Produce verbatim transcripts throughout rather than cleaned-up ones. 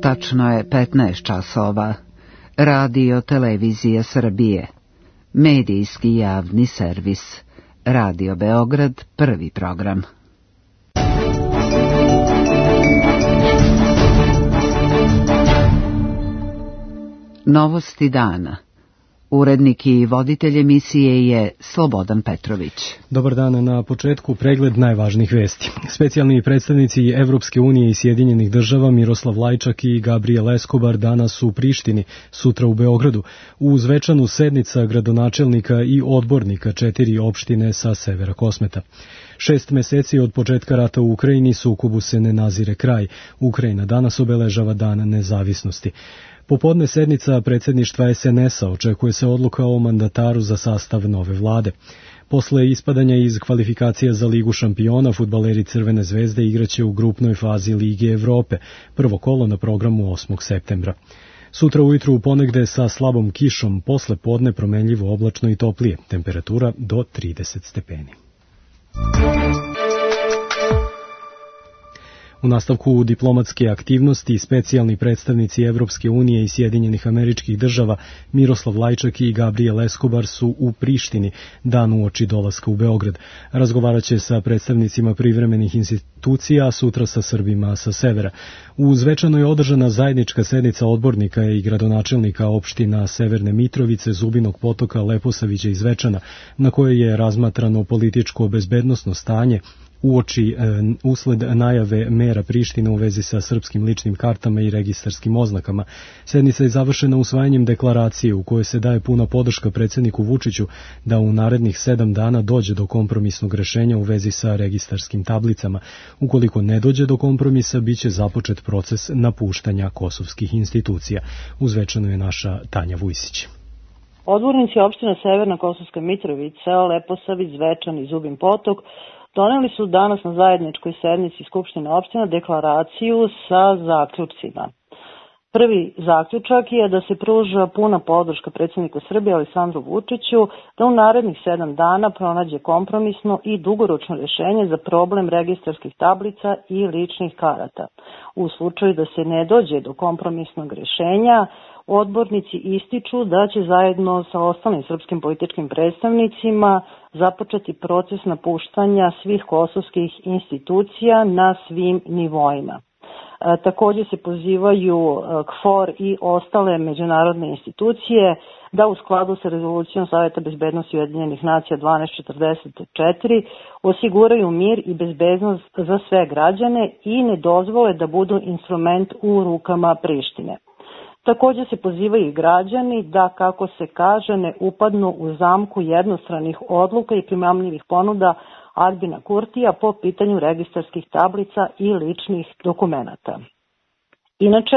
Tačno je petnaest časova. Radio Televizija Srbije. Medijski javni servis. Radio Beograd, prvi program. Novosti dana. Urednik i voditelj emisije je Slobodan Petrović. Dobar dan, na početku pregled najvažnijih vesti. Specijalni predstavnici Evropske unije i Sjedinjenih država Miroslav Lajčak i Gabriel Escobar danas su u Prištini, sutra u Beogradu, uz svečanu sednica gradonačelnika i odbornika četiri opštine sa severa Kosmeta. Šest meseci od početka rata u Ukrajini sukobu se ne nazire kraj. Ukrajina danas obeležava dan nezavisnosti. Popodne sednica predsjedništva es en es a očekuje se odluka o mandataru za sastav nove vlade. Posle ispadanja iz kvalifikacija za Ligu šampiona, fudbaleri Crvene zvezde igraće u grupnoj fazi Lige Evrope, prvo kolo na programu osmog septembra. Sutra ujutru u ponegde sa slabom kišom, posle podne promenljivo oblačno i toplije, temperatura do trideset stepeni. U nastavku diplomatske aktivnosti specijalni predstavnici Evropske unije i Sjedinjenih Američkih Država Miroslav Lajčak i Gabriel Escobar su u Prištini dan uoči dolaska u Beograd. Razgovarat će sa predstavnicima privremenih institucija, a sutra sa Srbima sa severa. U svečano je održana zajednička sednica odbornika i gradonačelnika opština Severne Mitrovice, Zubinog Potoka, Leposavića i Zvečana, na kojoj je razmatrano političko bezbednosno stanje uoči e, usled najave mera Prištine u vezi sa srpskim ličnim kartama i registarskim oznakama. Sednica je završena usvajanjem deklaracije u kojoj se daje puna podrška predsjedniku Vučiću da u narednih sedam dana dođe do kompromisnog rešenja u vezi sa registarskim tablicama. Ukoliko ne dođe do kompromisa, bit će započet proces napuštanja kosovskih institucija. Uzvečano je naša Tanja Vujsić. Odbornici opština Severna Kosovska Mitrovica, Leposavić, Zvečan i Zubin Potok doneli su danas na zajedničkoj sednici Skupštine opština deklaraciju sa zaključcima. Prvi zaključak je da se pruža puna podrška predsjedniku Srbije Aleksandru Vučiću da u narednih sedam dana pronađe kompromisno i dugoročno rješenje za problem registarskih tablica i ličnih karata. U slučaju da se ne dođe do kompromisnog rješenja, odbornici ističu da će zajedno sa ostalim srpskim političkim predstavnicima započeti proces napuštanja svih kosovskih institucija na svim nivoima. E, također se pozivaju K F O R i ostale međunarodne institucije da u skladu sa rezolucijom Saveta bezbednosti Ujedinjenih nacija dvanaest četrdeset četiri osiguraju mir i bezbednost za sve građane i ne dozvole da budu instrument u rukama Prištine. Također se pozivaju i građani da, kako se kaže, ne upadnu u zamku jednostranih odluka i primamljivih ponuda Albina Kurtija po pitanju registarskih tablica i ličnih dokumenata. Inače,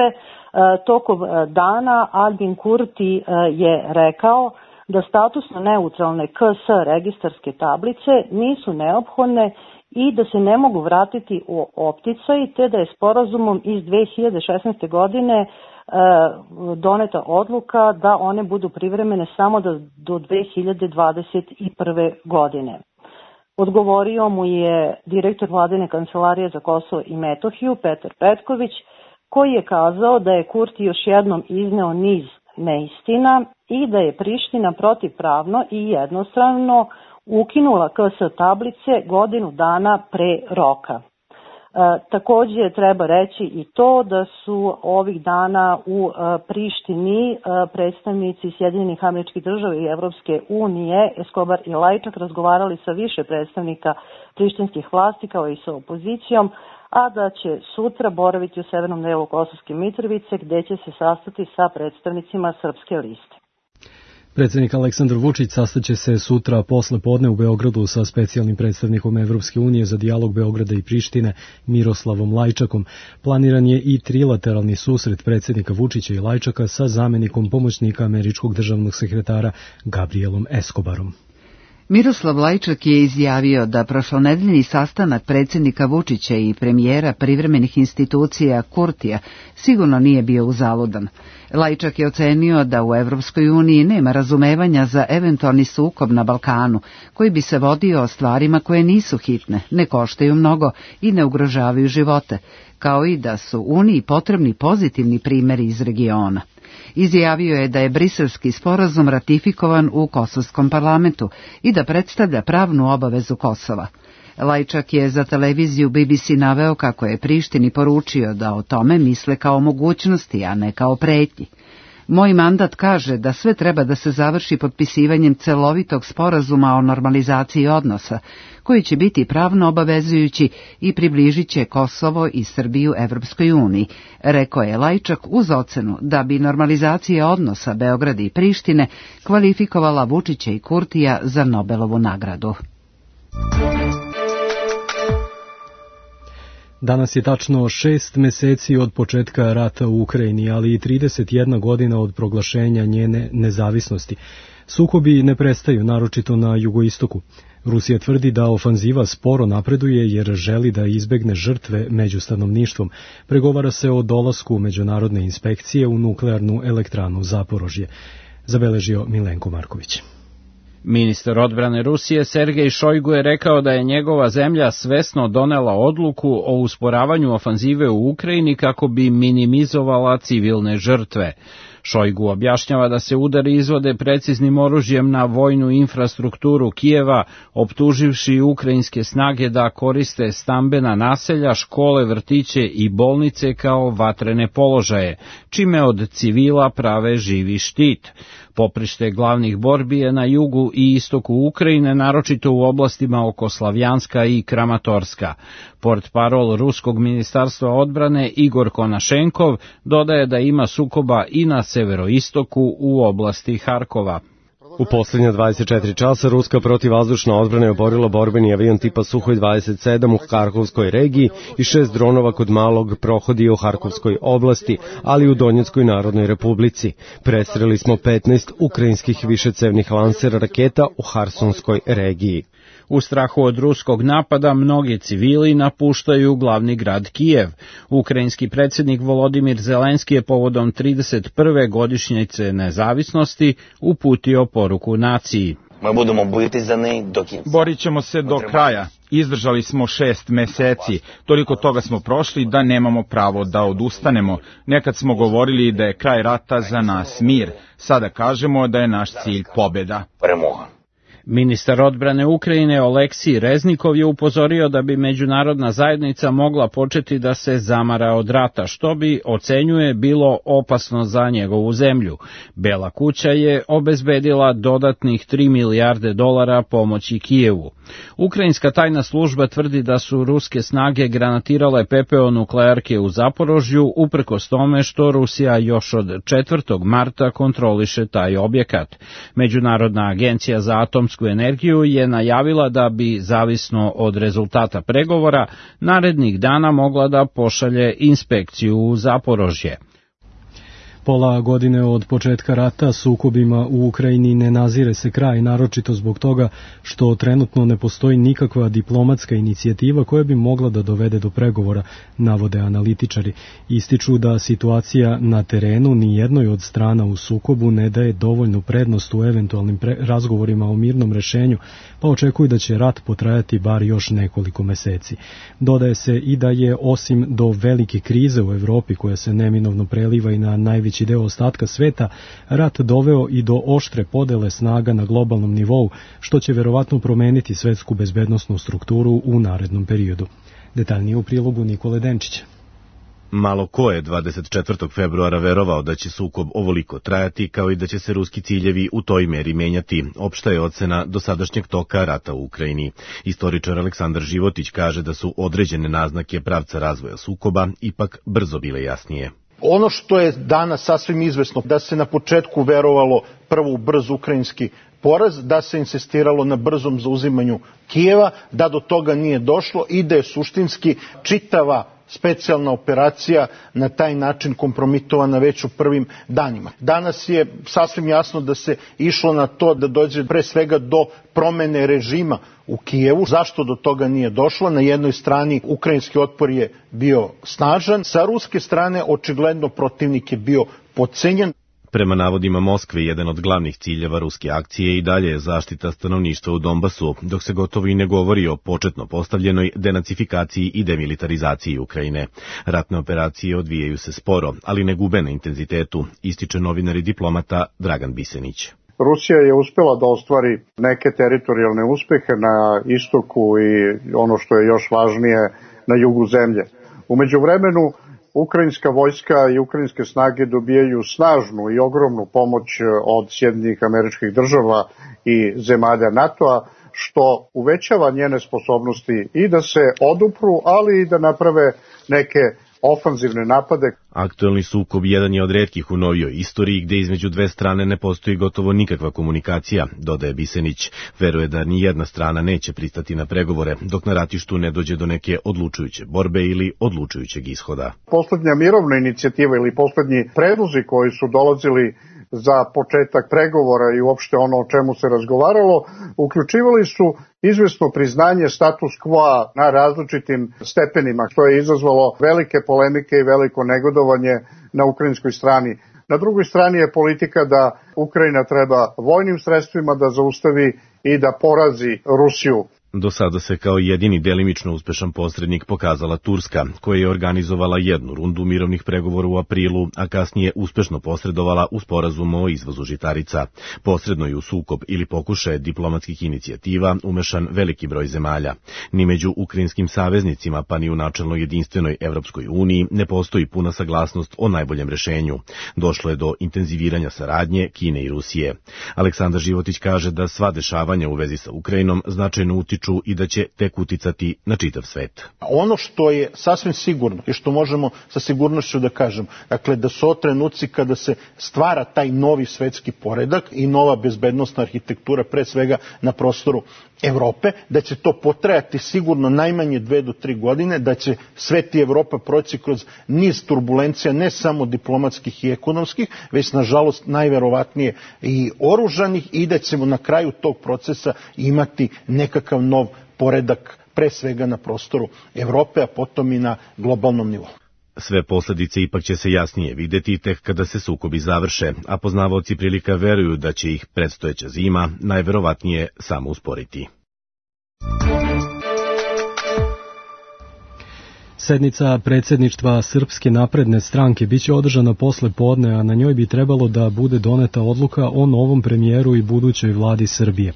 tokom dana Albin Kurti je rekao da statusno neutralne K S registarske tablice nisu neophodne i da se ne mogu vratiti u opticaj, te da je sporazumom iz dve hiljade šesnaeste godine doneta odluka da one budu privremene samo do, do dve hiljade dvadeset prve. godine. Odgovorio mu je direktor Vladine kancelarije za Kosovo i Metohiju Petar Petković, koji je kazao da je Kurti još jednom izneo niz neistina i da je Priština protivpravno i jednostrano ukinula K S tablice godinu dana pre roka. E, također treba reći i to da su ovih dana u e, Prištini e, predstavnici Sjedinjenih Američkih Država i Evropske unije, Escobar i Lajčak, razgovarali sa više predstavnika prištinskih vlasti kao i sa opozicijom, a da će sutra boraviti u severnom delu Kosovske Mitrovice gdje će se sastati sa predstavnicima Srpske liste. Predsjednik Aleksandar Vučić sastaće se sutra posle podne u Beogradu sa specijalnim predstavnikom Evropske unije za dijalog Beograda i Prištine Miroslavom Lajčakom. Planiran je i trilateralni susret predsjednika Vučića i Lajčaka sa zamjenikom pomoćnika američkog državnog sekretara Gabrielom Escobarom. Miroslav Lajčak je izjavio da prošlonedeljni sastanak predsjednika Vučića i premijera privremenih institucija Kurtija sigurno nije bio uzaludan. Lajčak je ocenio da u Evropskoj uniji nema razumevanja za eventualni sukob na Balkanu, koji bi se vodio o stvarima koje nisu hitne, ne koštaju mnogo i ne ugrožavaju živote, kao i da su Uniji potrebni pozitivni primjeri iz regiona. Izjavio je da je Briselski sporazum ratifikovan u Kosovskom parlamentu i da predstavlja pravnu obavezu Kosova. Lajčak je za televiziju B B C naveo kako je Prištini poručio da o tome misle kao mogućnosti, a ne kao pretnji. Moj mandat kaže da sve treba da se završi potpisivanjem celovitog sporazuma o normalizaciji odnosa, koji će biti pravno obavezujući i približit će Kosovo i Srbiju Evropskoj uniji, rekao je Lajčak uz ocenu da bi normalizacija odnosa Beograda i Prištine kvalifikovala Vučića i Kurtija za Nobelovu nagradu. Danas je tačno šest meseci od početka rata u Ukrajini, ali i trideset jedna godina od proglašenja njene nezavisnosti. Sukobi ne prestaju, naročito na jugoistoku. Rusija tvrdi da ofanziva sporo napreduje jer želi da izbegne žrtve među stanovništvom. Pregovara se o dolasku međunarodne inspekcije u nuklearnu elektranu Zaporožje. Zabeležio Milenko Marković. Ministar odbrane Rusije Sergej Šojgu je rekao da je njegova zemlja svesno donela odluku o usporavanju ofanzive u Ukrajini kako bi minimizovala civilne žrtve. Šojgu objašnjava da se udari izvode preciznim oružjem na vojnu infrastrukturu Kijeva, optuživši ukrajinske snage da koriste stambena naselja, škole, vrtiće i bolnice kao vatrene položaje, čime od civila prave živi štit. Poprište glavnih borbi je na jugu i istoku Ukrajine, naročito u oblastima oko Slavjanska i Kramatorska. Portparol Ruskog ministarstva odbrane Igor Konašenkov dodaje da ima sukoba i na severoistoku u oblasti Harkova. U posljednja dvadeset četiri časa ruska protivvazdušna odbrana je oborila borbeni avion tipa Suhoj dvadeset sedam u Harkovskoj regiji i šest dronova kod malog prohodija u Harkovskoj oblasti, ali i u Donjeckoj narodnoj republici. Prestreli smo petnaest ukrajinskih višecevnih lansera raketa u Harsonskoj regiji. U strahu od ruskog napada mnogi civili napuštaju glavni grad Kijev. Ukrajinski predsjednik Volodimir Zelenski je povodom trideset prve godišnjice nezavisnosti uputio poruku naciji. Borit ćemo se do kraja. Izdržali smo šest meseci. Toliko toga smo prošli da nemamo pravo da odustanemo. Nekad smo govorili da je kraj rata za nas mir. Sada kažemo da je naš cilj pobjeda. Ministar odbrane Ukrajine Oleksij Reznikov je upozorio da bi međunarodna zajednica mogla početi da se zamara od rata, što bi, ocenjuje, bilo opasno za njegovu zemlju. Bela kuća je obezbedila dodatnih tri milijarde dolara pomoći Kijevu. Ukrajinska tajna služba tvrdi da su ruske snage granatirale pepeo nuklearke u Zaporožju, uprkos tome što Rusija još od četvrtog marta kontroliše taj objekat. Međunarodna agencija za atomsku energiju je najavila da bi, zavisno od rezultata pregovora, narednih dana mogla da pošalje inspekciju u Zaporožje. Pola godine od početka rata sukobima u Ukrajini ne nazire se kraj, naročito zbog toga što trenutno ne postoji nikakva diplomatska inicijativa koja bi mogla da dovede do pregovora, navode analitičari. Ističu da situacija na terenu ni jednoj od strana u sukobu ne daje dovoljnu prednost u eventualnim razgovorima o mirnom rešenju, pa očekuju da će rat potrajati bar još nekoliko meseci. Dodaje se i da je osim do velike krize u Evropi koja se neminovno preliva i na najveći deo ostatka sveta, rat doveo i do oštre podele snaga na globalnom nivou, što će verovatno promeniti svetsku bezbednosnu strukturu u narednom periodu. Detaljnije u prilogu Nikole Denčića. Malo ko je dvadeset četvrtog februara verovao da će sukob ovoliko trajati, kao i da će se ruski ciljevi u toj meri menjati. Opšta je ocena dosadašnjeg toka rata u Ukrajini. Istoričar Aleksandar Životić kaže da su određene naznake pravca razvoja sukoba ipak brzo bile jasnije. Ono što je danas sasvim izvesno, da se na početku verovalo prvo u brz ukrajinski poraz, da se insistiralo na brzom zauzimanju Kijeva, da do toga nije došlo i da je suštinski čitava specijalna operacija na taj način kompromitovana već u prvim danima. Danas je sasvim jasno da se išlo na to da dođe pre svega do promene režima u Kijevu. Zašto do toga nije došlo? Na jednoj strani ukrajinski otpor je bio snažan, sa ruske strane očigledno protivnik je bio podcenjen. Prema navodima Moskve, jedan od glavnih ciljeva ruske akcije i dalje je zaštita stanovništva u Donbasu, dok se gotovo i ne govori o početno postavljenoj denacifikaciji i demilitarizaciji Ukrajine. Ratne operacije odvijaju se sporo, ali ne gube na intenzitetu, ističe novinar i diplomata Dragan Bisenić. Rusija je uspela da ostvari neke teritorijalne uspehe na istoku i ono što je još važnije na jugu zemlje. U međuvremenu ukrajinska vojska i ukrajinske snage dobijaju snažnu i ogromnu pomoć od Sjedinjenih Američkih Država i zemalja NATO-a, što uvećava njene sposobnosti i da se odupru, ali i da naprave neke ofanzivne napade. Aktuelni sukob jedan je od retkih u novijoj istoriji gde između dve strane ne postoji gotovo nikakva komunikacija, dodaje Bisenić. Veruje da ni jedna strana neće pristati na pregovore dok na ratištu ne dođe do neke odlučujuće borbe ili odlučujućeg ishoda. Poslednja mirovna inicijativa ili poslednji predlozi koji su dolazili za početak pregovora i uopšte ono o čemu se razgovaralo, uključivali su izvesno priznanje status quo na različitim stepenima, što je izazvalo velike polemike i veliko negodovanje na ukrajinskoj strani. Na drugoj strani je politika da Ukrajina treba vojnim sredstvima da zaustavi i da porazi Rusiju. Do sada se kao jedini delimično uspešan posrednik pokazala Turska, koja je organizovala jednu rundu mirovnih pregovora u aprilu, a kasnije uspešno posredovala u sporazumu o izvozu žitarica. Posredno je u sukob ili pokušaje diplomatskih inicijativa umešan veliki broj zemalja. Ni među ukrajinskim saveznicima, pa ni u načelno jedinstvenoj Evropskoj uniji ne postoji puna saglasnost o najboljem rešenju. Došlo je do intenziviranja saradnje Kine i Rusije. Aleksandar Životić kaže da sva dešavanja u vezi sa Ukrajinom značajno utiču i da će tek uticati na čitav svet. Ono što je sasvim sigurno i što možemo sa sigurnošću da kažem, dakle da su ovo trenuci kada se stvara taj novi svetski poredak i nova bezbednosna arhitektura, pre svega na prostoru Evrope, da će to potrajati sigurno najmanje dve do tri godine, da će svet i Evropa proći kroz niz turbulencija, ne samo diplomatskih i ekonomskih, već nažalost najverovatnije i oružanih, i da ćemo na kraju tog procesa imati nekakav nov poredak, pre svega na prostoru Evrope, a potom i na globalnom nivou. Sve posledice ipak će se jasnije videti tek kada se sukobi završe, a poznavaoci prilika veruju da će ih predstojeća zima najverovatnije samo usporiti. Sednica predsjedništva Srpske napredne stranke biće održana posle podne, a na njoj bi trebalo da bude doneta odluka o novom premijeru i budućoj vladi Srbije.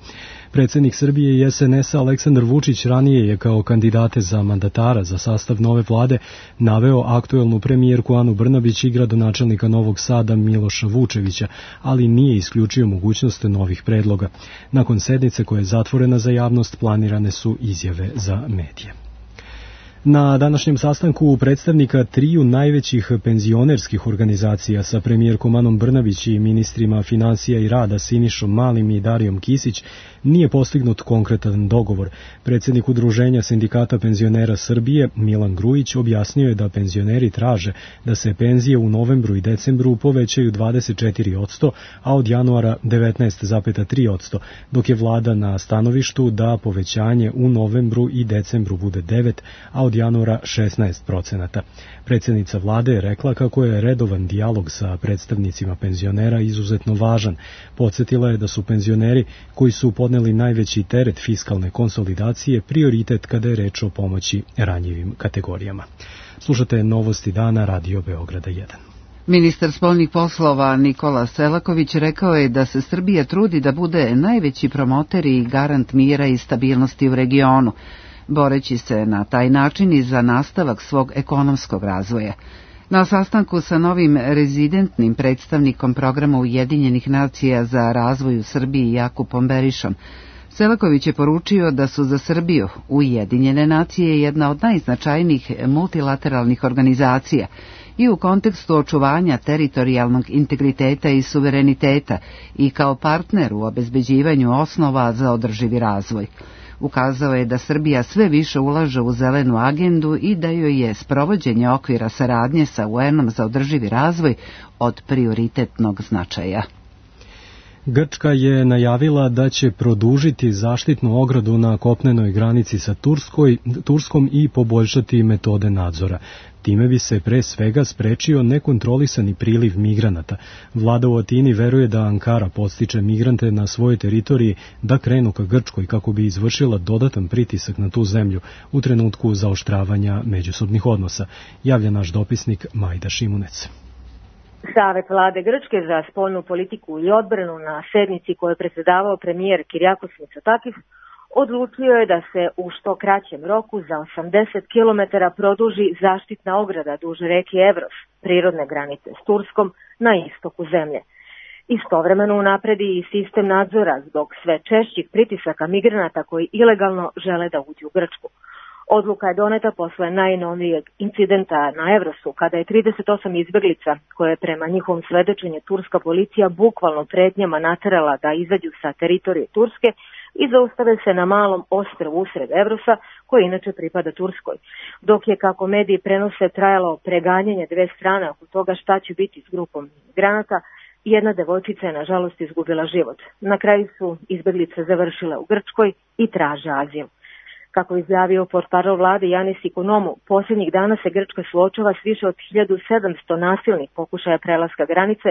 Predsjednik Srbije i es en es a Aleksandar Vučić ranije je kao kandidate za mandatara za sastav nove vlade naveo aktuelnu premijerku Anu Brnabić i gradonačelnika Novog Sada Miloša Vučevića, ali nije isključio mogućnost novih predloga. Nakon sednice koja je zatvorena za javnost planirane su izjave za medije. Na današnjem sastanku predstavnika triju najvećih penzionerskih organizacija sa premijerkom Anom Brnabić i ministrima financija i rada Sinišom Malim i Darijom Kisić nije postignut konkretan dogovor. Predsjednik Udruženja sindikata penzionera Srbije Milan Grujić objasnio je da penzioneri traže da se penzije u novembru i decembru povećaju dvadeset četiri posto, a od januara devetnaest zarez tri posto, dok je vlada na stanovištu da povećanje u novembru i decembru bude devet, a od januara šesnaest procenata. Predsjednica vlade je rekla kako je redovan dijalog sa predstavnicima penzionera izuzetno važan. Podsjetila je da su penzioneri koji su podneli najveći teret fiskalne konsolidacije prioritet kada je reč o pomoći ranjivim kategorijama. Slušate Novosti dana Radio Beograda jedan. Ministar spoljnih poslova Nikola Selaković rekao je da se Srbija trudi da bude najveći promoter i garant mira i stabilnosti u regionu, boreći se na taj način i za nastavak svog ekonomskog razvoja. Na sastanku sa novim rezidentnim predstavnikom programa Ujedinjenih nacija za razvoj u Srbiji Jakupom Berišom, Selaković je poručio da su za Srbiju Ujedinjene nacije jedna od najznačajnijih multilateralnih organizacija i u kontekstu očuvanja teritorijalnog integriteta i suvereniteta i kao partner u obezbeđivanju osnova za održivi razvoj. Ukazao je da Srbija sve više ulaže u zelenu agendu i da joj je sprovođenje okvira saradnje sa U N-om za održivi razvoj od prioritetnog značaja. Grčka je najavila da će produžiti zaštitnu ogradu na kopnenoj granici sa Turskoj, Turskom i poboljšati metode nadzora. Time bi se pre svega sprečio nekontrolisani priliv migranata. Vlada u Atini veruje da Ankara podstiče migrante na svojoj teritoriji da krenu ka Grčkoj kako bi izvršila dodatan pritisak na tu zemlju u trenutku zaoštravanja međusobnih odnosa, javlja naš dopisnik Majda Šimunec. Savet vlade Grčke za spoljnu politiku i odbranu na sednici koju je predsjedavao premijer Kyriakos Mitsotakis odlučio je da se u što kraćem roku za osamdeset kilometara produži zaštitna ograda duž reke Evros, prirodne granice s Turskom, na istoku zemlje. Istovremeno unapredi i sistem nadzora zbog sve češćih pritisaka migranata koji ilegalno žele da uđu u Grčku. Odluka je doneta posle najnovijeg incidenta na Evrosu, kada je trideset osam izbeglica, koje je prema njihovom svedočenju turska policija bukvalno pretnjama naterala da izađu sa teritorije Turske i zaustave se na malom ostrvu usred Evrosa, koji inače pripada Turskoj. Dok je, kako mediji prenose, trajalo preganjanje dve strane oko toga šta će biti s grupom migranata, jedna devojčica je nažalost izgubila život. Na kraju su izbeglice završile u Grčkoj i traže azil. Kako je izjavio portparol vlade Janis Ikonomou, posljednjih dana se Grčka suočava s više od hiljadu sedamsto nasilnih pokušaja prelaska granice,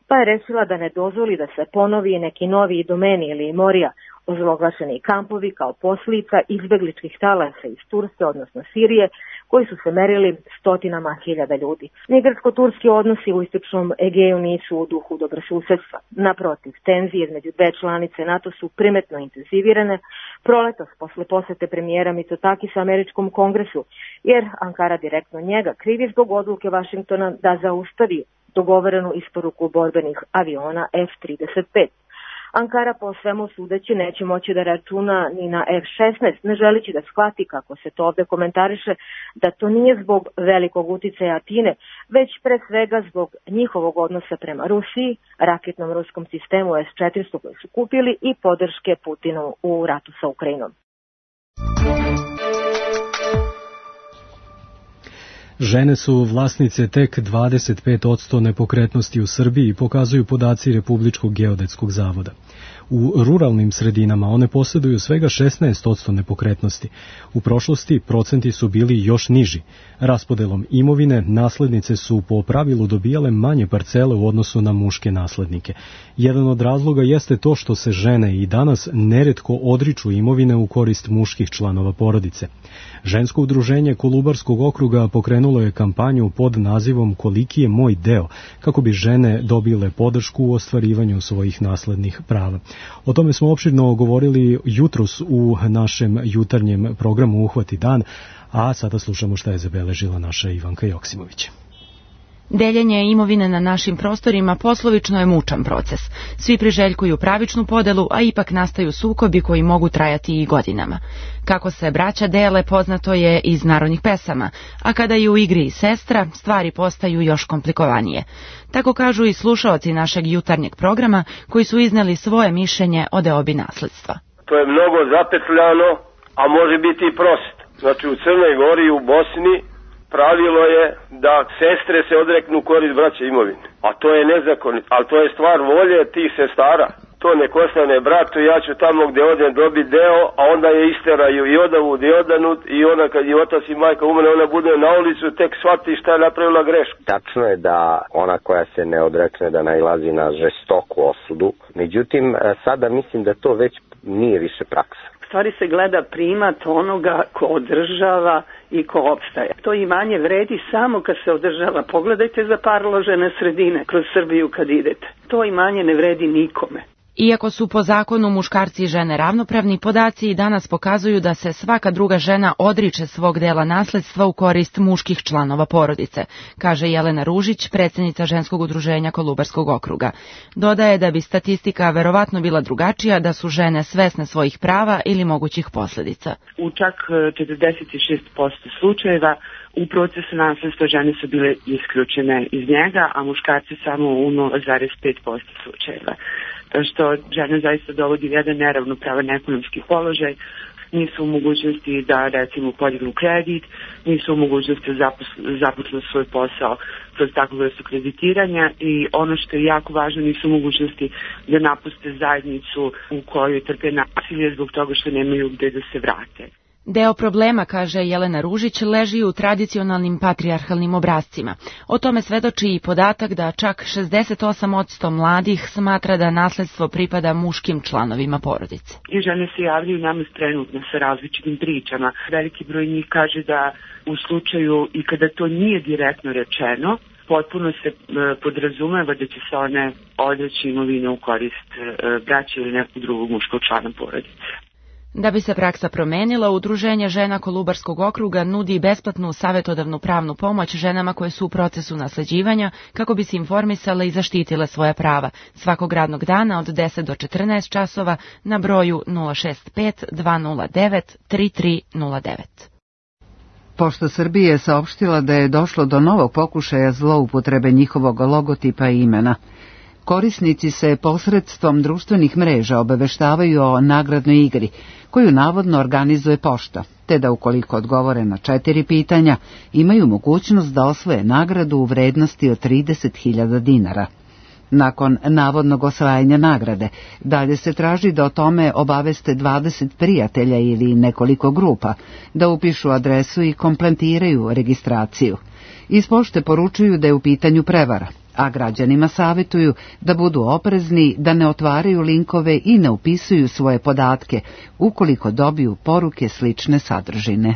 pa je rešila da ne dozvoli da se ponovi neki novi domeni ili morija, ozloglašeni kampovi kao posljedica izbegličkih talasa iz Turske, odnosno Sirije, koji su se merili stotinama hiljada ljudi. Ni grčko-turski odnosi u istočnom Egeju nisu u duhu dobrosusedstva. Naprotiv, tenzije između dve članice NATO su primetno intenzivirane proletos posle posete premijera Mitsotakisa američkom kongresu, jer Ankara direktno njega krivi zbog odluke Vašingtona da zaustavi dogovorenu isporuku borbenih aviona F trideset pet. Ankara po svemu sudeći neće moći da računa ni na F šesnaest, ne želići da shvati, kako se to ovde komentariše, da to nije zbog velikog uticaja Atine, već pre svega zbog njihovog odnosa prema Rusiji, raketnom ruskom sistemu S četiristo koji su kupili i podrške Putinu u ratu sa Ukrajinom. Žene su vlasnice tek dvadeset pet posto nepokretnosti u Srbiji, pokazuju podaci Republičkog geodetskog zavoda. U ruralnim sredinama one posjeduju svega šesnaest posto nepokretnosti. U prošlosti procenti su bili još niži. Raspodelom imovine naslednice su po pravilu dobijale manje parcele u odnosu na muške naslednike. Jedan od razloga jeste to što se žene i danas neretko odriču imovine u korist muških članova porodice. Žensko udruženje Kolubarskog okruga pokrenulo je kampanju pod nazivom Koliki je moj deo, kako bi žene dobile podršku u ostvarivanju svojih naslednih prava. O tome smo opširno govorili jutros u našem jutarnjem programu Uhvati dan, a sada slušamo šta je zabeležila naša Ivanka Joksimović. Deljenje imovine na našim prostorima poslovično je mučan proces. Svi priželjkuju pravičnu podelu, a ipak nastaju sukobi koji mogu trajati i godinama. Kako se braća dele poznato je iz narodnih pesama, a kada je u igri i sestra, stvari postaju još komplikovanije. Tako kažu i slušaoci našeg jutarnjeg programa koji su izneli svoje mišljenje o deobi nasledstva. To je mnogo zapetljano, a može biti i prost. Znači u Crnoj Gori i u Bosni pravilo je da sestre se odreknu korist braće imovine. A to je nezakonito, ali to je stvar volje tih sestara. To nek ostane bratu, ja ću tamo gdje odem dobiti deo, a onda je isteraju i odavud i odanut i ona kad je otac i majka umre, ona bude na ulicu, tek shvati šta je napravila grešku. Tačno je da ona koja se ne odrekne da nailazi na žestoku osudu, međutim sada mislim da to već nije više praksa. Stvari se gleda primat onoga ko održava i ko opstaje. To imanje vredi samo kad se održava. Pogledajte za parložene sredine kroz Srbiju kad idete. To imanje ne vredi nikome. Iako su po zakonu muškarci i žene ravnopravni, podaci i danas pokazuju da se svaka druga žena odriče svog dela nasledstva u korist muških članova porodice, kaže Jelena Ružić, predsjednica ženskog udruženja Kolubarskog okruga. Dodaje da bi statistika verovatno bila drugačija da su žene svesne svojih prava ili mogućih posljedica. U čak četrdeset šest posto slučajeva u procesu nasledstva žene su bile isključene iz njega, a muškarci samo u nula zarez pet posto slučajeva. Što žene zaista dovodi jedan neravnopravan ekonomski položaj nisu u mogućnosti da recimo podignu kredit, nisu u mogućnosti da započnu svoj posao kroz takvu vrstu kreditiranja i ono što je jako važno, nisu u mogućnosti da napuste zajednicu u kojoj trpe nasilje zbog toga što nemaju gde da se vrate. Deo problema, kaže Jelena Ružić, leži u tradicionalnim patrijarhalnim obrascima. O tome svedoči i podatak da čak šezdeset osam posto mladih smatra da nasledstvo pripada muškim članovima porodice. I žene se javljaju nama trenutno sa različitim pričama. Veliki broj njih kaže da u slučaju i kada to nije direktno rečeno, potpuno se podrazumeva da će se one odreći imovine u korist braće ili nekog drugog muškog člana porodice. Da bi se praksa promenila, Udruženje žena Kolubarskog okruga nudi besplatnu savjetodavnu pravnu pomoć ženama koje su u procesu nasleđivanja kako bi se informisale i zaštitile svoja prava svakog radnog dana od deset do četrnaest časova na broju nula šest pet dva nula devet tri tri nula devet. Pošta Srbije je saopštila da je došlo do novog pokušaja zloupotrebe njihovog logotipa i imena. Korisnici se posredstvom društvenih mreža obaveštavaju o nagradnoj igri, koju navodno organizuje pošta, te da ukoliko odgovore na četiri pitanja, imaju mogućnost da osvoje nagradu u vrednosti od trideset hiljada dinara. Nakon navodnog osvajanja nagrade, dalje se traži da o tome obaveste dvadeset prijatelja ili nekoliko grupa, da upišu adresu i kompletiraju registraciju. Iz pošte poručuju da je u pitanju prevara, a građanima savjetuju da budu oprezni, da ne otvaraju linkove i ne upisuju svoje podatke ukoliko dobiju poruke slične sadržine.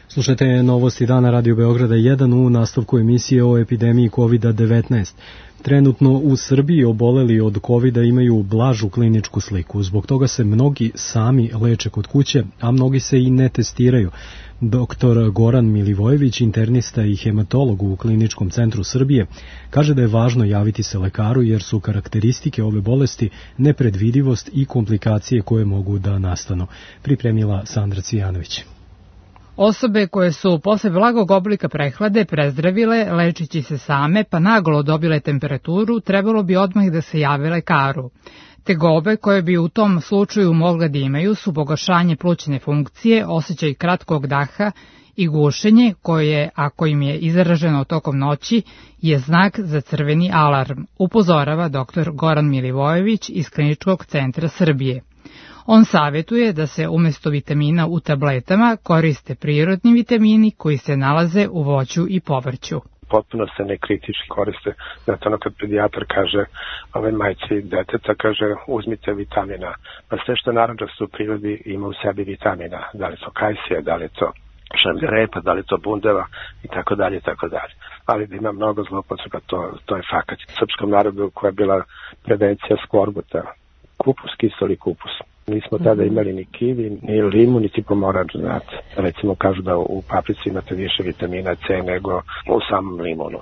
Slušajte novosti dana Radio Beograda jedan u nastavku emisije o epidemiji kovid devetnaest. Trenutno u Srbiji oboleli od kovida imaju blažu kliničku sliku. Zbog toga se mnogi sami leče kod kuće, a mnogi se i ne testiraju. Doktor Goran Milivojević, internista i hematolog u Kliničkom centru Srbije, kaže da je važno javiti se lekaru jer su karakteristike ove bolesti nepredvidivost i komplikacije koje mogu da nastanu. Pripremila Sandra Cijanović. Osobe koje su posle blagog oblika prehlade prezdravile, lečići se same pa naglo dobile temperaturu, trebalo bi odmah da se jave lekaru. Tegobe koje bi u tom slučaju mogle da imaju su pogoršanje plućne funkcije, osjećaj kratkog daha i gušenje koje, ako im je izraženo tokom noći, je znak za crveni alarm, upozorava doktor Goran Milivojević iz Kliničkog centra Srbije. On savjetuje da se umjesto vitamina u tabletama koriste prirodni vitamini koji se nalaze u voću i povrću. Potpuno se ne kritički koriste. Znate, ono kad pedijatar kaže ove majci deteta, kaže uzmite vitamina. Pa sve što narančasto u prirodi ima u sebi vitamina. Da li to kajsija, da li to šamljerepa, da li to bundeva i tako dalje i tako dalje. Ali da ima mnogo zloupotreba, to, to je fakat. Srpskom narodu koja je bila prevencija skorbuta, kupus, kiseli kupus. Nismo tada imali ni kivi, ni limu, niti pomoranč, znate. Recimo kažu da u paprici imate više vitamina C nego u samom limunu.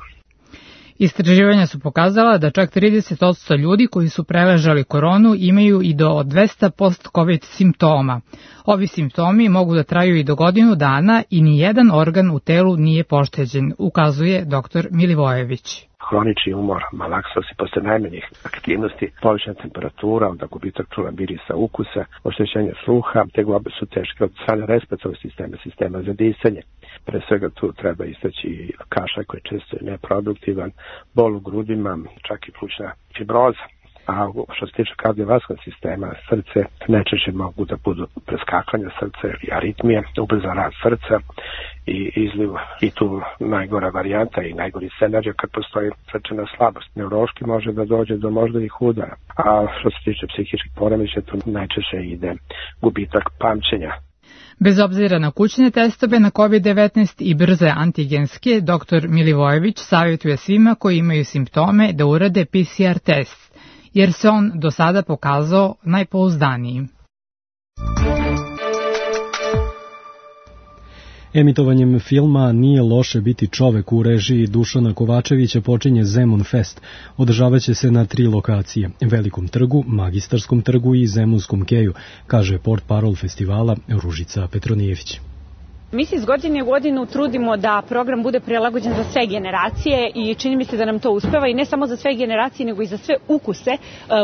Istraživanja su pokazala da čak trideset posto ljudi koji su preležali koronu imaju i do dvesta post-covid simptoma. Ovi simptomi mogu da traju i do godinu dana i ni jedan organ u telu nije pošteđen, ukazuje doktor Milivojević. Hronični umor, malaksosi posle najmanjih aktivnosti, povećana temperatura, onda gubitak čula, mirisa, ukusa, oštećenje sluha, tegobe su teške od strane respiratornog sistema, sistema za disanje. Pre svega tu treba istaći kašalj koji često je neproduktivan, bol u grudima, čak i plućna fibroza. A što se tiče kardiovaskularnog sistema, srce najčešće mogu da budu preskakanja srca ili aritmije, ubrzan rad srca i izliv. I tu najgora varijanta i najgori scenarij kad postoji srčana slabost. Neurološki može da dođe do moždanih udara. A što se tiče psihičkih poremećaja, tu najčešće ide gubitak pamćenja. Bez obzira na kućne testove na kovid devetnaest i brze antigenske, doktor Milivojević savjetuje svima koji imaju simptome da urade P C R test, jer se on do sada pokazao najpouzdanijim. Emitovanjem filma Nije loše biti čovek u režiji Dušana Kovačevića počinje Zemun Fest. Održavaće se na tri lokacije, Velikom trgu, Magistarskom trgu i Zemunskom keju, kaže portparol festivala Ružica Petronijević. Mi se iz godine u godinu trudimo da program bude prilagođen za sve generacije i čini mi se da nam to uspeva i ne samo za sve generacije nego i za sve ukuse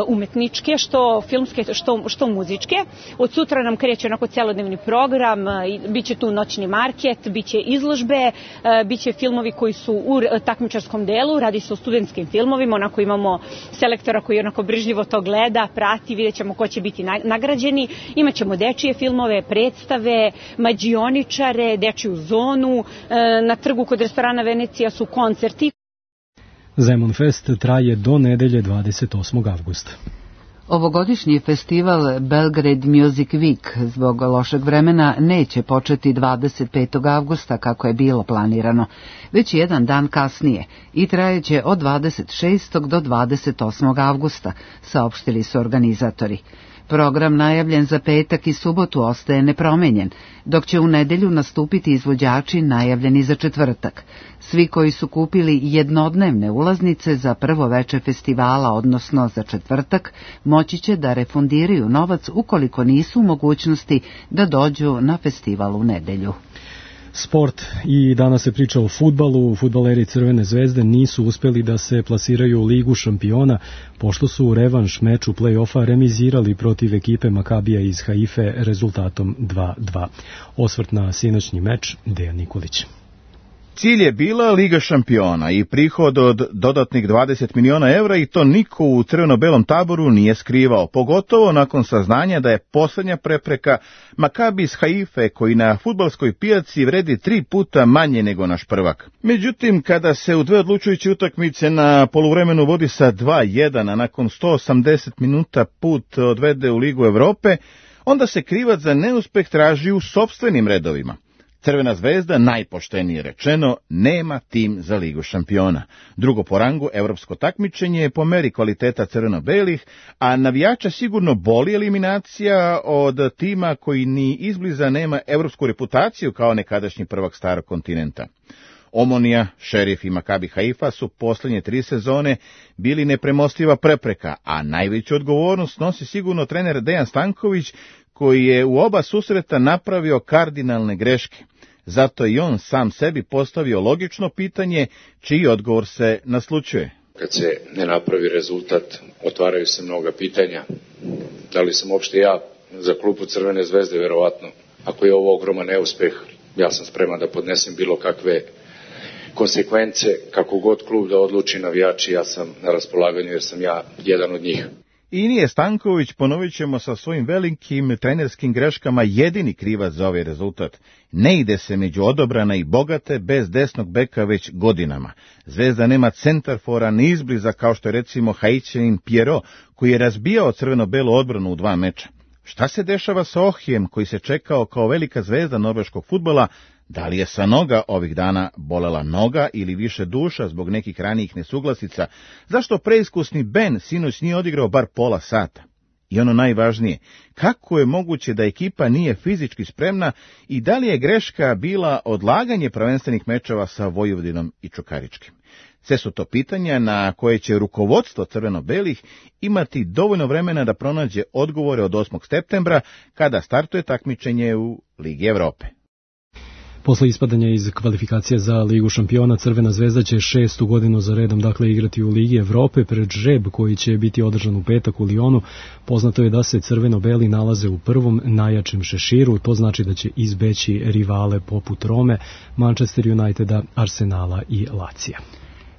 umetničke, što filmske, što, što muzičke. Od sutra nam kreće onako celodnevni program, biće tu noćni market, biće izložbe, biće filmovi koji su u takmičarskom delu, radi se o studentskim filmovima, onako imamo selektora koji onako brižljivo to gleda, prati, vidjet ćemo ko će biti nagrađeni, imaćemo dečije filmove, predstave, mađioničare, dečiju zonu, na trgu kod restorana Venecija su koncerti. Zemun Fest traje do nedelje dvadeset osmog avgusta. Ovogodišnji festival Belgrade Music Week zbog lošeg vremena neće početi dvadeset petog avgusta kako je bilo planirano, već jedan dan kasnije i trajeće od dvadeset šestog do dvadeset osmog avgusta, saopštili su organizatori. Program najavljen za petak i subotu ostaje nepromenjen, dok će u nedelju nastupiti izvođači najavljeni za četvrtak. Svi koji su kupili jednodnevne ulaznice za prvo veče festivala, odnosno za četvrtak, moći će da refundiraju novac ukoliko nisu u mogućnosti da dođu na festival u nedelju. Sport i danas se priča o fudbalu. Fudbaleri Crvene zvezde nisu uspeli da se plasiraju u Ligu šampiona, pošto su u revanš meču play-offa remizirali protiv ekipe Makabija iz Haife rezultatom dva dva. Osvrt na sinoćni meč, Dejan Nikolić. Cilj je bila Liga šampiona i prihod od dodatnih dvadeset miliona evra i to niko u crveno-belom taboru nije skrivao, pogotovo nakon saznanja da je posljednja prepreka Makabi iz Haife koji na fudbalskoj pijaci vredi tri puta manje nego naš prvak. Međutim, kada se u dve odlučujuće utakmice na poluvremenu vodi sa dva jedan, a nakon sto osamdeset minuta put odvede u Ligu Evrope, onda se krivac za neuspeh traži u sopstvenim redovima. Crvena zvezda, najpoštenije rečeno, nema tim za Ligu šampiona. Drugo po rangu evropsko takmičenje je po meri kvaliteta crveno-belih, a navijača sigurno boli eliminacija od tima koji ni izbliza nema evropsku reputaciju kao nekadašnji prvak starog kontinenta. Omonija, Šerif i Makabi Haifa su posljednje tri sezone bili nepremostiva prepreka, a najveću odgovornost nosi sigurno trener Dejan Stanković, koji je u oba susreta napravio kardinalne greške. Zato je i on sam sebi postavio logično pitanje, čiji odgovor se naslućuje. Kad se ne napravi rezultat, otvaraju se mnoga pitanja. Da li sam uopšte ja za klubu Crvene zvezde, verovatno. Ako je ovo ogroman neuspeh, ja sam spreman da podnesem bilo kakve konsekvence, kako god klub da odluči, navijači, ja sam na raspolaganju jer sam ja jedan od njih. I nije Stanković, ponovit ćemo, sa svojim velikim trenerskim greškama jedini krivac za ovaj rezultat. Ne ide se među odobrana i bogate bez desnog beka već godinama. Zvezda nema centarfora ni izbliza kao što je recimo Haitianin Pierrot, koji je razbijao crveno-belu odbranu u dva meča. Šta se dešava sa Ohijem, koji se čekao kao velika zvezda norveškog fudbala? Da li je sa noga ovih dana bolela noga ili više duša zbog nekih ranijih nesuglasica? Zašto preiskusni Ben sinoć nije odigrao bar pola sata? I ono najvažnije, kako je moguće da ekipa nije fizički spremna i da li je greška bila odlaganje prvenstvenih mečeva sa Vojvodinom i Čukaričkim? Sve su to pitanja na koje će rukovodstvo crveno-belih imati dovoljno vremena da pronađe odgovore od osmog septembra, kada startuje takmičenje u Ligi Evrope. Posle ispadanja iz kvalifikacije za Ligu šampiona, Crvena zvezda će šestu godinu za redom dakle igrati u Ligi Evrope pred žreb koji će biti održan u petak u Lionu. Poznato je da se crveno-beli nalaze u prvom najjačem šeširu, to znači da će izbeći rivale poput Rome, Manchester Uniteda, Arsenala i Lacija.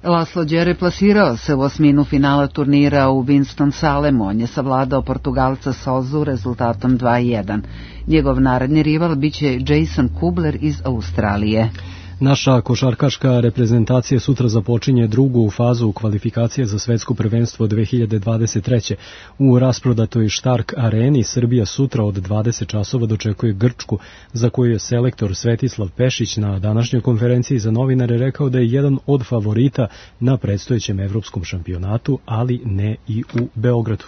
Laslo Đere plasirao se u osminu finala turnira u Winston-Salemu. On je savladao Portugalca Sozu rezultatom dva jedan. Njegov naredni rival biće Jason Kubler iz Australije. Naša košarkaška reprezentacija sutra započinje drugu fazu kvalifikacije za svetsko prvenstvo dve hiljade dvadeset treće. U rasprodatoj Štark areni Srbija sutra od dvadeset časova dočekuje Grčku, za koju je selektor Svetislav Pešić na današnjoj konferenciji za novinare rekao da je jedan od favorita na predstojećem evropskom šampionatu, ali ne i u Beogradu.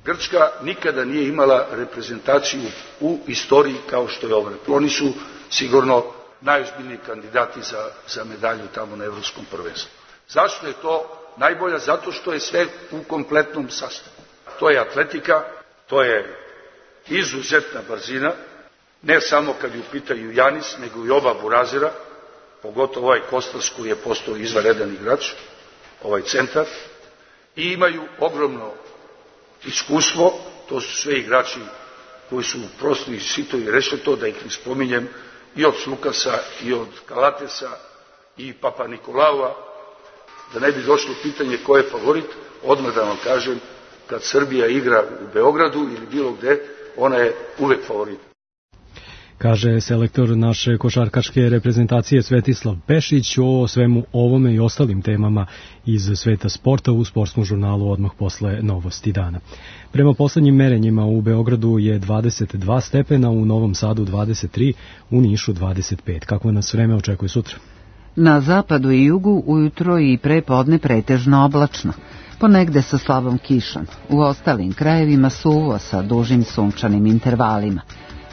Grčka nikada nije imala reprezentaciju u istoriji kao što je ova. Oni su sigurno najozbiljniji kandidati za, za medalju tamo na evropskom prvenstvu. Zašto je to najbolja? Zato što je sve u kompletnom sastavu. To je atletika, to je izuzetna brzina, Ne samo kad je u pitanju Janis, nego i oba burazira, pogotovo ovaj Kostas koji je postao izvanredan igrač, ovaj centar, i imaju ogromno iskustvo, to su sve igrači koji su prosto i Sitovi rešli to, da ih ne spominjem, i od Lukasa, i od Kalatesa, i Papa Nikolaua, da ne bi došlo pitanje ko je favorit, odmah da vam kažem, kad Srbija igra u Beogradu ili bilo gde, ona je uvek favorit. Kaže selektor naše košarkaške reprezentacije Svetislav Pešić o svemu ovome i ostalim temama iz sveta sporta u sportskom žurnalu odmah posle novosti dana. Prema poslednjim merenjima u Beogradu je dvadeset dva stepena, u Novom Sadu dvadeset tri, u Nišu dvadeset pet. Kako nas vreme očekuje sutra? Na zapadu i jugu ujutro i pre podne pretežno oblačno, ponegde sa slabom kišom. U ostalim krajevima suvo sa dužim sunčanim intervalima.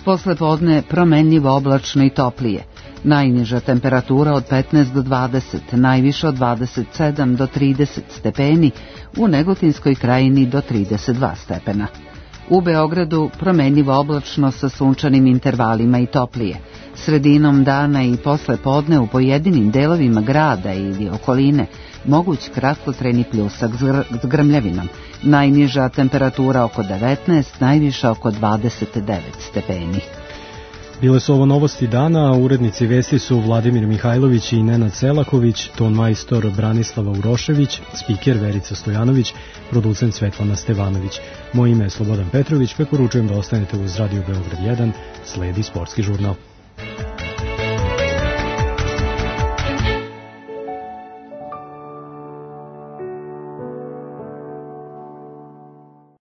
Posle podne promenljivo oblačno i toplije. Najniža temperatura od petnaest do dvadeset, najviša od dvadeset sedam do trideset stepeni, u Negotinskoj krajini do trideset dva stepena. U Beogradu promenljivo oblačno sa sunčanim intervalima i toplije. Sredinom dana i posle podne u pojedinim delovima grada ili okoline moguć kratkotrajni pljusak s grmljavinom. Najniža temperatura oko devetnaest, najviša oko dvadeset devet stepeni. Bile su ovo novosti dana, urednici vesti su Vladimir Mihajlović i Nenad Selaković, ton majstor Branislava Urošević, spiker Verica Stojanović, producent Svetlana Stevanović. Moje ime je Slobodan Petrović, preporučujem da ostanete uz Radio Beograd jedan, sledi sportski žurnal.